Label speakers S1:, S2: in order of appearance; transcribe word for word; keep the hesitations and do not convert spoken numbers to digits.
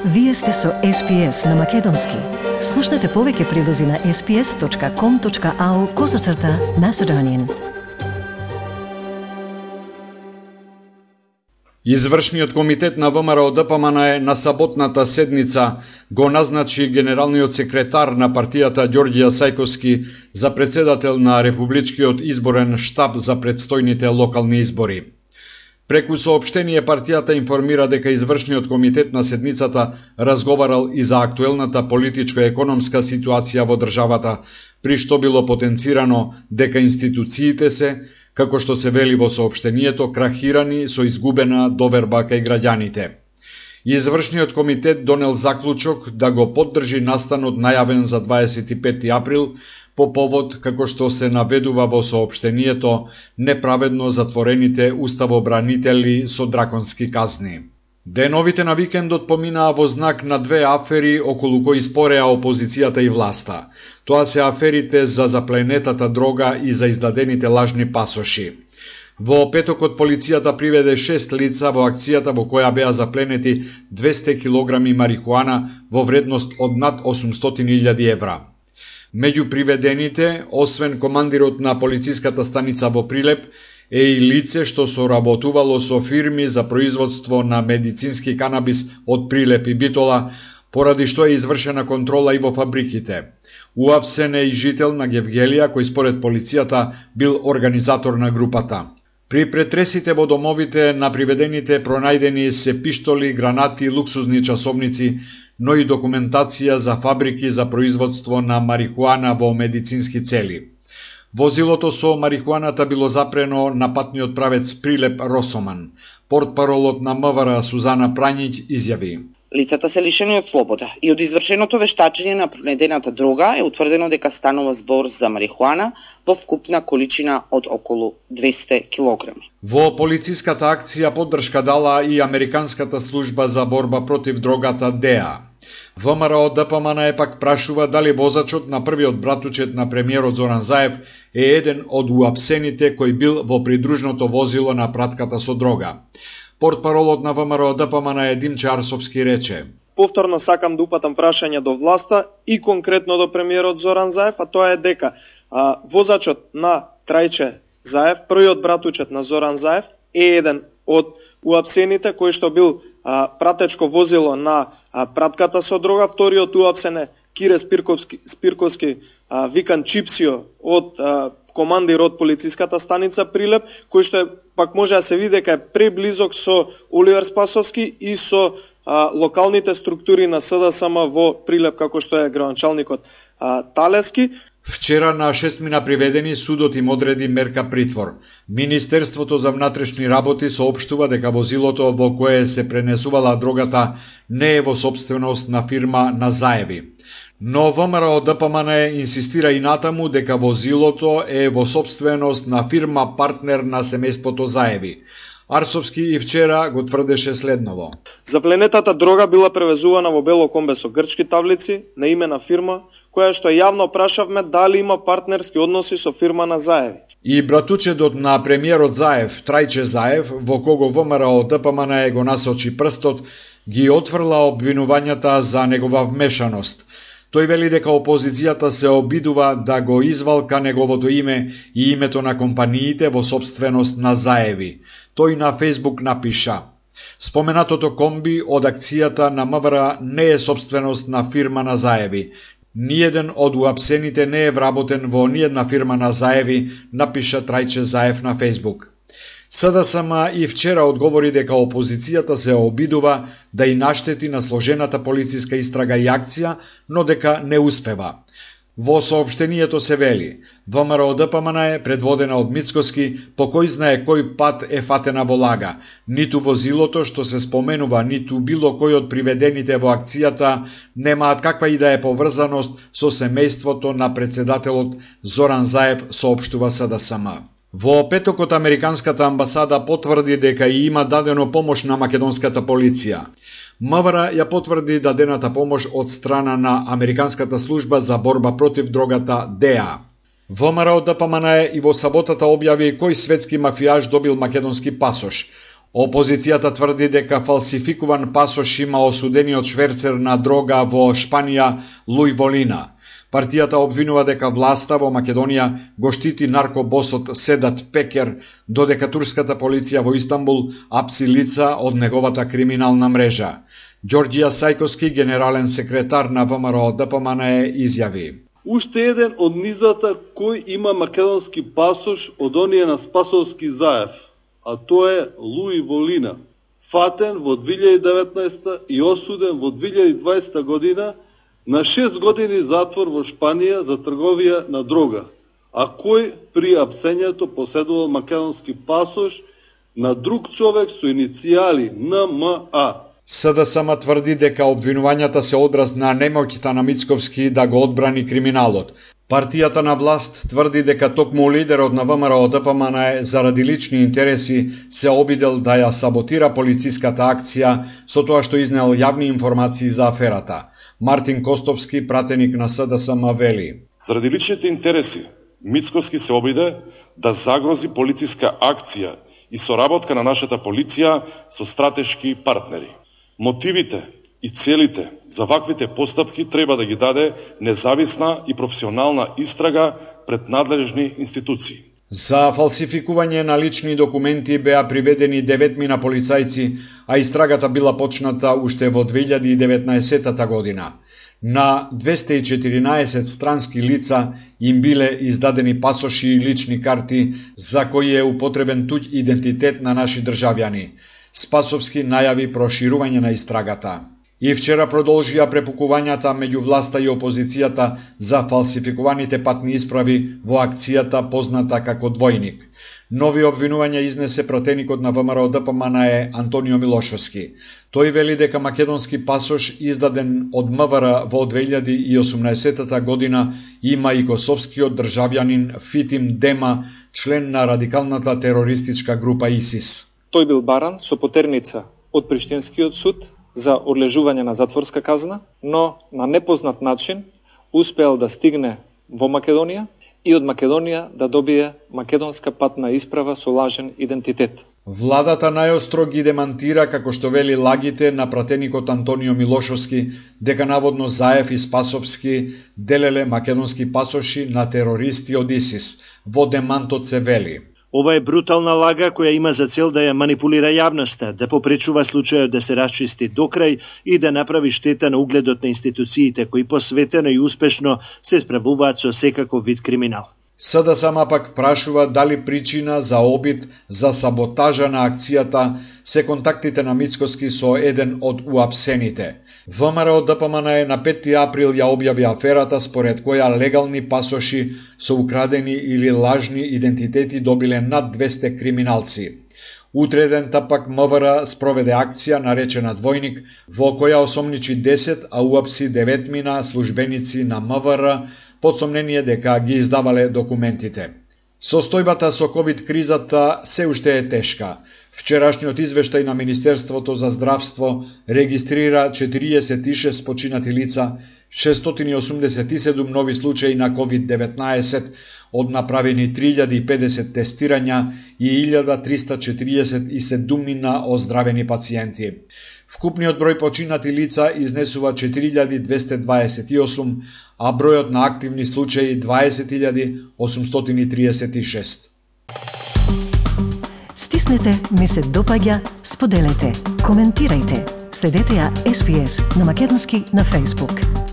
S1: Вие сте со Ес Пи Ес на Македонски. Слушнете повеќе прилози на ес пи ес точка ком точка ау козацрта Macedonian.
S2: Извршниот комитет на Вэ Ем Ар О Д П М Н Е на саботната седница го назначи генералниот секретар на партијата Ѓорѓе Сајковски за председател на Републичкиот изборен штаб за предстојните локални избори. Преку соопштение партијата информира дека извршниот комитет на седницата разговарал и за актуелната политичко-економска ситуација во државата, при што било потенцирано дека институциите се, како што се вели во соопштението, крахирани со изгубена доверба кај граѓаните. Извршниот комитет донел заклучок да го поддржи настанот најавен за дваесет и пети април по повод, како што се наведува во соопштението, неправедно затворените уставобранители со драконски казни. Деновите на викендот поминаа во знак на две афери околу кои спореа опозицијата и власта. Тоа се аферите за запленетата дрога и за издадените лажни пасоши. Во петокот полицијата приведе шест лица во акцијата во која беа запленети двесте килограми марихуана во вредност од над осумстотини илјади евра. Меѓу приведените, освен командирот на полициската станица во Прилеп, е и лице што соработувало со фирми за производство на медицински канабис од Прилеп и Битола, поради што е извршена контрола и во фабриките. Уапсен е и жител на Гевгелија, кој според полицијата бил организатор на групата. При претресите во домовите на приведените пронајдени се пиштоли, гранати, луксузни часовници, но и документација за фабрики за производство на марихуана во медицински цели. Возилото со марихуаната било запрено на патниот правец Прилеп Росоман. Портпаролот на М В Р Сузана Прањиќ изјави:
S3: Лицата се лишени од слобода и од извршеното вештачење на пронедената дрога е утврдено дека станува збор за марихуана во вкупна количина од околу двесте килограми.
S2: Во полициската акција поддршка дала и Американската служба за борба против дрогата Д E A. Вэ Ем Ар О Д П М Н Е пак прашува дали возачот на првиот братучет на премиерот Зоран Заев е еден од уапсените кој бил во придружното возило на пратката со дрога. Портпаролот на Вэ Ем Ар О Д П М Н Е Димче Арсовски рече:
S4: Повторно сакам да упатам прашање до власта и конкретно до премиерот Зоран Заев, а тоа е дека а, возачот на Трајче Заев, првиот братучет на Зоран Заев, е еден од уапсените кој што бил а, пратечко возило на а, пратката со дрога. Вториот уапсен е Кире Спирковски, Спирковски а, викан Чипсио од а, командир од полициската станица Прилеп, кој што е, пак може да се види дека е преблизок со Оливер Спасовски и со а, локалните структури на С Д С М во Прилеп, како што е градоначалникот а, Талески.
S2: Вчера на шестмина приведени судот им одреди мерка притвор. Министерството за внатрешни работи соопштува дека возилото во кое се пренесувала дрогата не е во собственост на фирма на Заеви. Но Вэ Ем Ар О Д П М Н Е инсистира и натаму дека возилото е во собственост на фирма партнер на семејството Заеви. Арсовски и вчера го тврдеше следново:
S4: Запленетата дрога била превезувана во бело комбе со грчки таблици на име на фирма, која што јавно прашавме дали има партнерски односи со фирма на Заеви.
S2: И братучедот на премиерот Заев, Трајче Заев, во кого Вэ Ем Ар О Д П М Н Е го насочи прстот, ги отфрла обвинувањата за негова вмешаност. Тој вели дека опозицијата се обидува да го извалка неговото име и името на компаниите во собственост на Заеви. Тој на Фејсбук напиша: Споменатото комби од акцијата на М В Р не е собственост на фирма на Заеви. Ниеден од уапсените не е вработен во ниедна фирма на Заеви, напиша Трајче Заев на Фејсбук. С Д С М и вчера одговори дека опозицијата се обидува да и наштети на сложената полициска истрага и акција, но дека не успева. Во соопштението се вели: Вэ Ем Ар О Д П М Н Е, предводена од Мицкоски, по кој знае кој пат е фатена во лага. Ниту возилото што се споменува, ниту било кој од приведените во акцијата немаат каква и да е поврзаност со семејството на председателот Зоран Заев, соопштува С Д С М. Во петокот Американската амбасада потврди дека и има дадено помош на македонската полиција. М В Р ја потврди дадената помош од страна на Американската служба за борба против дрогата Д E A. Вэ Ем Ар О Д П М Н Е и во саботата објави кој светски мафијаш добил македонски пасош. Опозицијата тврди дека фалсификуван пасош има осудениот шверцер на дрога во Шпанија Луј Волина. Партијата обвинува дека власта во Македонија го штити наркобосот Седат Пекер, додека турската полиција во Истанбул апси лица од неговата криминална мрежа. Ѓорѓија Сајковски, генерален секретар на ВМРО Д П М Н Е, изјави:
S5: Уште еден од низата кој има македонски пасош од оние на Спасовски заев, а тоа е Луј Волина, фатен во две илјади и деветнаесета и осуден во две илјади и дваесета година на шест години затвор во Шпанија за трговија на дрога, а кој при апсењето поседувал македонски пасош на друг човек со иницијали Н М А.
S2: С Д С М тврди дека обвинувањата се одраз на немоќта на Мицковски да го одбрани криминалот. Партијата на власт тврди дека токму лидерот на ВМРО Д П М Н Е заради лични интереси се обидел да ја саботира полициската акција со тоа што изнел јавни информации за аферата. Мартин Костовски, пратеник на С Д С М, вели:
S6: Заради личните интереси, Мицковски се обиде да загрози полициска акција и соработка на нашата полиција со стратешки партнери. Мотивите и целите за ваквите постапки треба да ги даде независна и професионална истрага пред надлежни институции.
S2: За фалсификување на лични документи беа приведени деветмина полицајци, а истрагата била почната уште во две илјади и деветнаесета година. На двесте и четиринаесет странски лица им биле издадени пасоши и лични карти за кои е употребен туѓ идентитет на наши државјани. Спасовски најави проширување на истрагата. И вчера продолжија препукувањата меѓу власта и опозицијата за фалсификуваните патни исправи во акцијата позната како Двојник. Нови обвинувања изнесе пратеникот на ВМРО Д П М Н Е Антонио Милошовски. Тој вели дека македонски пасош издаден од М В Р во две илјади и осумнаесета година има и косовскиот државјанин Фитим Дема, член на радикалната терористичка група ИСИС.
S7: Тој бил баран со потерница од Приштинскиот суд за одлежување на затворска казна, но на непознат начин успеал да стигне во Македонија и од Македонија да добие македонска патна исправа со лажен идентитет.
S2: Владата најостро ги демантира, како што вели, лагите на пратеникот Антонио Милошовски дека наводно Заев и Спасовски делеле македонски пасоши на терористи од ИСИС. Во демантот се вели:
S8: Ова е брутална лага која има за цел да ја манипулира јавноста, да попречува случајот да се расчисти до крај и да направи штета на угледот на институциите кои посветено и успешно се справуваат со секаков вид криминал.
S2: С Д С М пак прашува дали причина за обид за саботажа на акцијата се контактите на Мицковски со еден од уапсените. ВМРО Д П М Н Е на петти април ја објави аферата според која легални пасоши со украдени или лажни идентитети добиле над двесте криминалци. Утредента пак М В Р спроведе акција наречена Двојник, во која осомничи десет, а уапси деветмина службеници на М В Р под сомнение дека ги издавале документите. Состојбата со ковид кризата се уште е тешка. Вчерашниот извештај на Министерството за здравство регистрира четириесет и шест починати лица, шестстотини и осумдесет и седум нови случаи на ковид деветнаесет, од направени три илјади и педесет тестирања и илјада триста четириесет и седумнина оздравени пациенти. Вкупниот број починати лица изнесува четири илјади двесте дваесет и осум, а бројот на активни случаи дваесет илјади осумстотини триесет и шест.
S1: Стиснете, ми се допаѓа, споделете, коментирајте. Следете ја С Б С на македонски на Facebook.